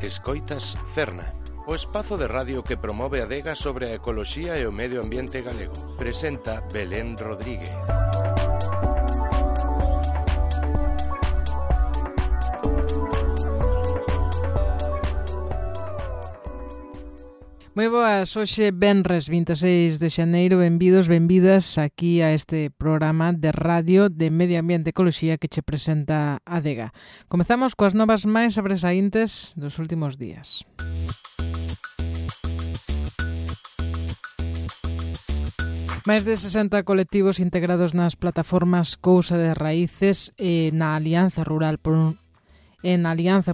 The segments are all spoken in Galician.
Escoitas Cerna, o espazo de radio que promove a adega sobre a ecoloxía e o medio ambiente galego. Presenta Belén Rodríguez. Moi boas, hoxe venres 26 de xaneiro, benvidos, benvidas aquí a este programa de radio de Medio Ambiente e Ecoloxía que che presenta a adega. Comezamos coas novas máis sobresaíntes dos últimos días. Máis de 60 colectivos integrados nas plataformas Cousa de Raíces e na Alianza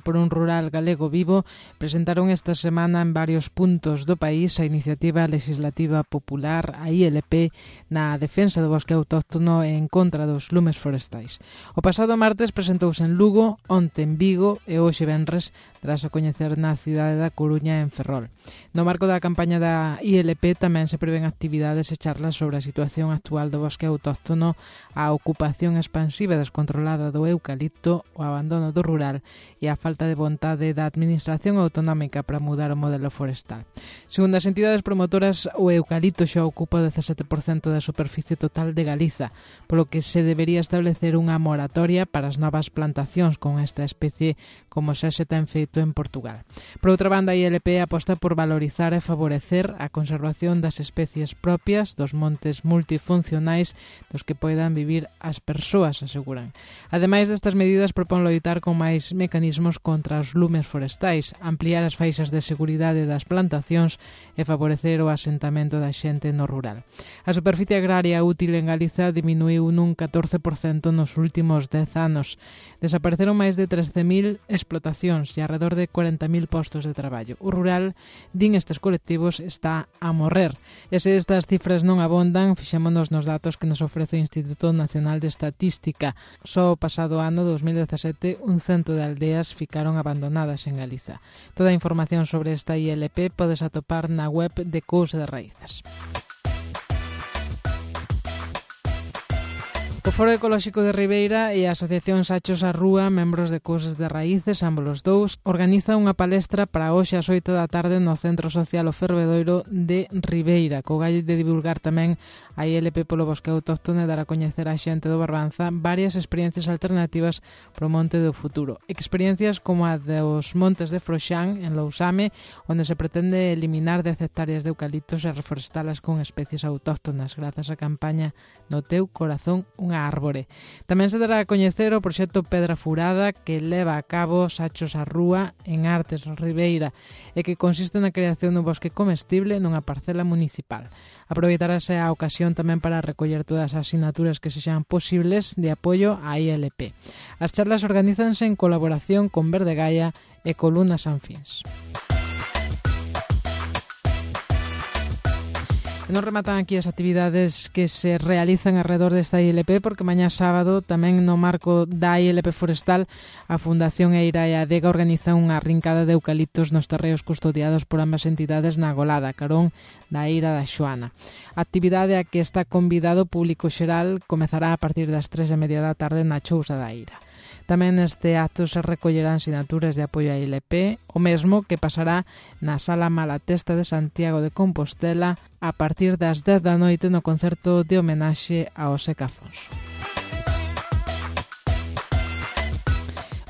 por un Rural Galego Vivo presentaron esta semana en varios puntos do país a iniciativa legislativa popular, a ILP, na defensa do bosque autóctono e en contra dos lumes forestais. O pasado martes presentouse en Lugo, onte en Vigo e hoxe venres tras a coñecer na cidade da Coruña en Ferrol. No marco da campaña da ILP tamén se prevén actividades e charlas sobre a situación actual do bosque autóctono, a ocupación expansiva e descontrolada do eucalipto, o abandono do rural e a falta de vontade da administración autonómica para mudar o modelo forestal. Segundo as entidades promotoras, o eucalipto xa ocupa o 17% da superficie total de Galiza, polo que se debería establecer unha moratoria para as novas plantacións con esta especie, como xa se ten feito en Portugal. Por outra banda, a ILP aposta por valorizar e favorecer a conservación das especies propias dos montes multifuncionais dos que poidan vivir as persoas, aseguran. Ademais destas medidas, propón loitar con máis mecanismos contra os lumes forestais, ampliar as faixas de seguridade das plantacións e favorecer o asentamento da xente no rural. A superficie agraria útil en Galiza diminuiu nun 14% nos últimos 10 anos. Desapareceron máis de 13.000 explotacións e alrededor de 40.000 postos de traballo. O rural, din estes colectivos, está a morrer. E se estas cifras non abondan, fixémonos nos datos que nos ofrece o Instituto Nacional de Estatística. Só o pasado ano, 2017, un cento de aldeas ficaron abandonadas en Galiza. Toda a información sobre esta ILP podes atopar na web de Cousa de Raíces. O Foro Ecolóxico de Ribeira e a Asociación Sachos á Rúa, membros de Cousas de Raíces, ambos os dous, organiza unha palestra para hoxe ás 8 da tarde no Centro Social O Fervedoiro de Ribeira, co gallo de divulgar tamén a ILP polo bosque autóctono e dar a coñecer a xente do Barbanza varias experiencias alternativas pro monte do futuro. Experiencias como a dos montes de Froxán, en Lousame, onde se pretende eliminar 10 hectáreas de eucaliptos e reforestalas con especies autóctonas grazas á campaña No Teu Corazón unha árbore. Tamén se dará a coñecer o proxecto Pedra Furada que leva a cabo Sachos á Rúa en Artes Ribeira e que consiste na creación dun bosque comestible nunha parcela municipal. Aproveitarase a ocasión tamén para recoller todas as asignaturas que sexan posibles de apoio á ILP. As charlas organízanse en colaboración con Verde Gaia e Columna Sanfins. Non rematan aquí as actividades que se realizan alrededor desta ILP porque mañá sábado tamén no marco da ILP forestal a Fundación Eira e a Adega organizan unha rincada de eucaliptos nos terreos custodiados por ambas entidades na Golada, carón da Eira da Xoana. A actividade a que está convidado o público xeral comezará a partir das 3:30 da tarde na Chousa da Eira. Tamén neste acto se recollerán sinaturas de apoio á ILP, o mesmo que pasará na Sala Malatesta de Santiago de Compostela a partir das 10 da noite no concerto de homenaxe ao Seca Afonso.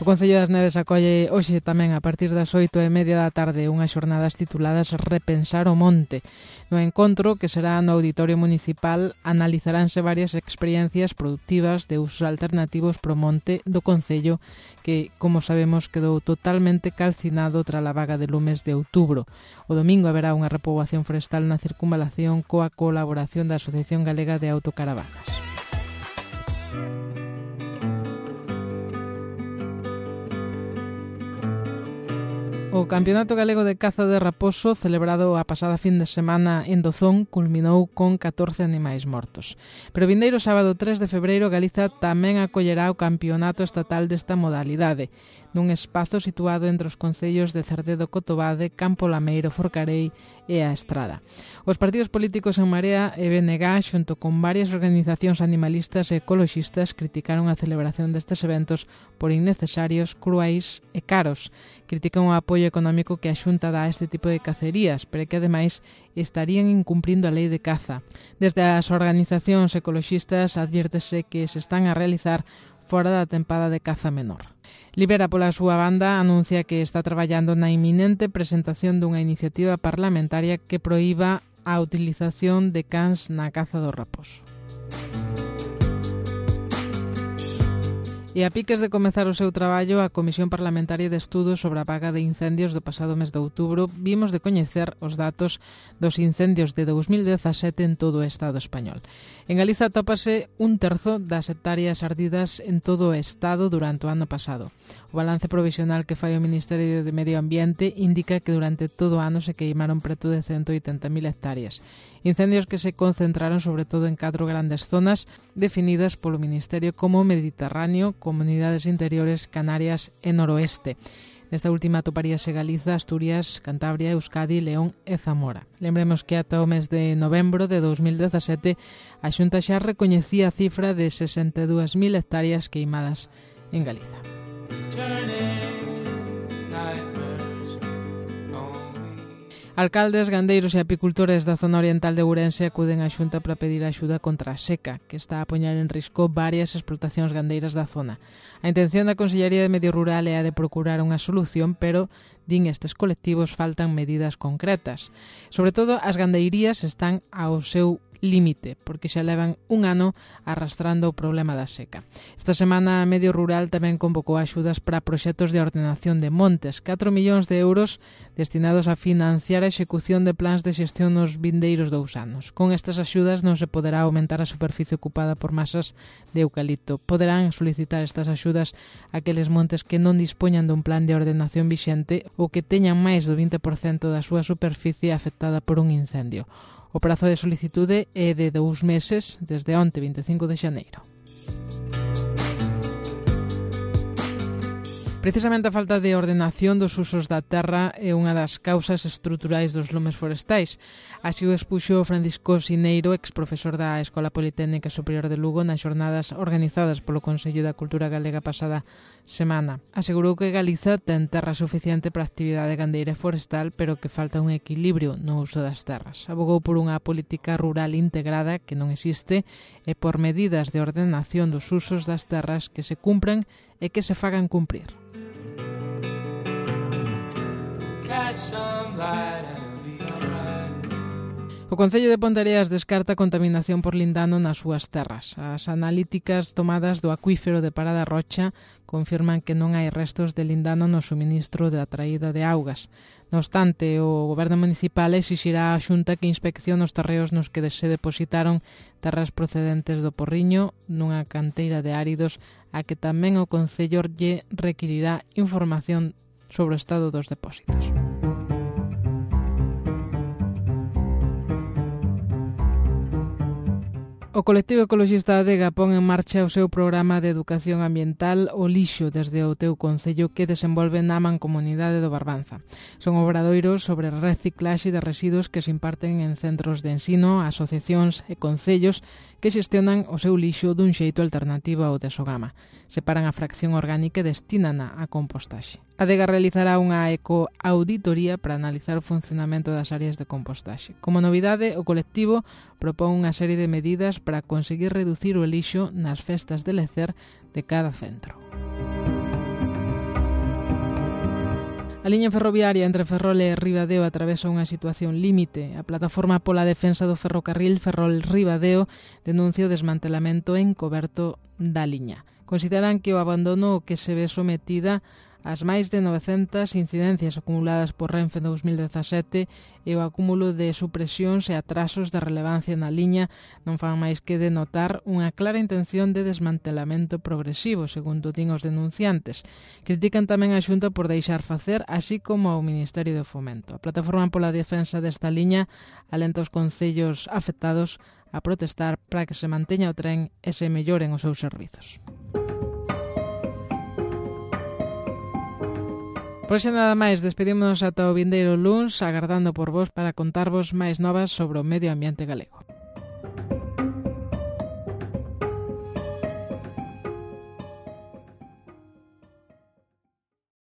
O Concello das Neves acolle hoxe tamén a partir das 8:30 da tarde unhas xornadas tituladas Repensar o Monte. No encontro, que será no Auditorio Municipal, analizaránse varias experiencias productivas de usos alternativos pro monte do Concello que, como sabemos, quedou totalmente calcinado tras a vaga de lumes de outubro. O domingo haberá unha repoboación forestal na circunvalación coa colaboración da Asociación Galega de Autocaravanas. O Campeonato Galego de Caza de Raposo, celebrado a pasada fin de semana en Dozón, culminou con 14 animais mortos. Pero o vindeiro sábado 3 de febreiro, Galiza tamén acollerá o Campeonato Estatal desta modalidade, nun espazo situado entre os concellos de Cerdedo, Cotobade, Campo Lameiro, Forcarei e a Estrada. Os partidos políticos En Marea e BNG, xunto con varias organizacións animalistas e ecoloxistas, criticaron a celebración destes eventos por innecesarios, cruais e caros. Critican o apoio apoio económico que a Xunta dá a este tipo de cacerías, pero que ademais estarían incumprindo a lei de caza. Desde as organizacións ecoloxistas adviértese que se están a realizar fora da tempada de caza menor. Libera, pola súa banda, anuncia que está traballando na inminente presentación dunha iniciativa parlamentaria que proíba a utilización de cans na caza do raposo. E a piques de comezar o seu traballo, a Comisión Parlamentaria de Estudos sobre a Apaga de Incendios do pasado mes de outubro vimos de coñecer os datos dos incendios de 2017 en todo o Estado español. En Galiza tópase 1/3 das hectáreas ardidas en todo o Estado durante o ano pasado. O balance provisional que fai o Ministerio de Medio Ambiente indica que durante todo o ano se queimaron preto de 180.000 hectáreas. Incendios que se concentraron sobre todo en 4 grandes zonas definidas polo Ministerio como Mediterráneo, Comunidades Interiores, Canarias e Noroeste. Nesta última atoparíase Galiza, Asturias, Cantabria, Euskadi, León e Zamora. Lembremos que ata o mes de novembro de 2017 a Xunta xa recoñecía a cifra de 62.000 hectáreas queimadas en Galiza. Alcaldes, gandeiros e apicultores da zona oriental de Ourense acuden á Xunta para pedir axuda contra a seca, que está a poñer en risco varias explotacións gandeiras da zona. A intención da Consellería de Medio Rural é a de procurar unha solución, pero, din estes colectivos, faltan medidas concretas. Sobre todo, as gandeirías están ao seu límite, porque xa levan un ano arrastrando o problema da seca. Esta semana, Medio Rural tamén convocou axudas para proxectos de ordenación de montes, 4 millóns de euros destinados a financiar a execución de plans de xestión nos vindeiros 2 anos. Con estas axudas non se poderá aumentar a superficie ocupada por masas de eucalipto. Poderán solicitar estas axudas aqueles montes que non dispoñan dun plan de ordenación vixente ou que teñan máis do 20% da súa superficie afectada por un incendio. O prazo de solicitude é de 2 meses desde onte, 25 de xaneiro. Precisamente a falta de ordenación dos usos da terra é unha das causas estruturais dos lumes forestais. Así o expuxo Francisco Sineiro, exprofesor da Escola Politécnica Superior de Lugo, nas xornadas organizadas polo Consello da Cultura Galega pasada semana. Asegurou que Galiza ten terra suficiente para a actividade gandeira e forestal, pero que falta un equilibrio no uso das terras. Abogou por unha política rural integrada que non existe e por medidas de ordenación dos usos das terras que se cumpran e que se fagan cumprir. O Concello de Ponteareas descarta contaminación por lindano nas súas terras. As analíticas tomadas do acuífero de Parada Rocha confirman que non hai restos de lindano no suministro da traída de augas. No obstante, o Goberno Municipal exixirá á Xunta que inspeccione os terreos nos que se depositaron terras procedentes do Porriño nunha canteira de áridos a que tamén o Concello lle requirirá información sobre o estado dos depósitos. O colectivo ecoloxista Adega pon en marcha o seu programa de educación ambiental O Lixo desde o teu concello que desenvolve na Mancomunidade do Barbanza. Son obradoiros sobre reciclaxe de residuos que se imparten en centros de ensino, asociacións e concellos que xestionan o seu lixo dun xeito alternativo ao de Sogama. Separan a fracción orgánica e destínana a compostaxe. Adega realizará unha ecoauditoría para analizar o funcionamento das áreas de compostaxe. Como novidade, o colectivo propón unha serie de medidas para conseguir reducir o lixo nas festas de lecer de cada centro. A liña ferroviaria entre Ferrol e Ribadeo atravesa unha situación límite. A plataforma pola defensa do ferrocarril Ferrol-Ribadeo denuncia o desmantelamento encoberto da liña. Consideran que o abandono ao que se ve sometida as máis de 900 incidencias acumuladas por Renfe en 2017 e o acúmulo de supresións e atrasos de relevancia na liña non fan máis que denotar unha clara intención de desmantelamento progresivo, segundo din os denunciantes. Critican tamén a Xunta por deixar facer, así como ao Ministerio do Fomento. A plataforma pola defensa desta liña alenta os concellos afectados a protestar para que se manteña o tren e se melloren os seus servizos. Por xa nada máis, despedímonos ata o vindeiro luns, agardando por vos para contarvos máis novas sobre o medio ambiente galego.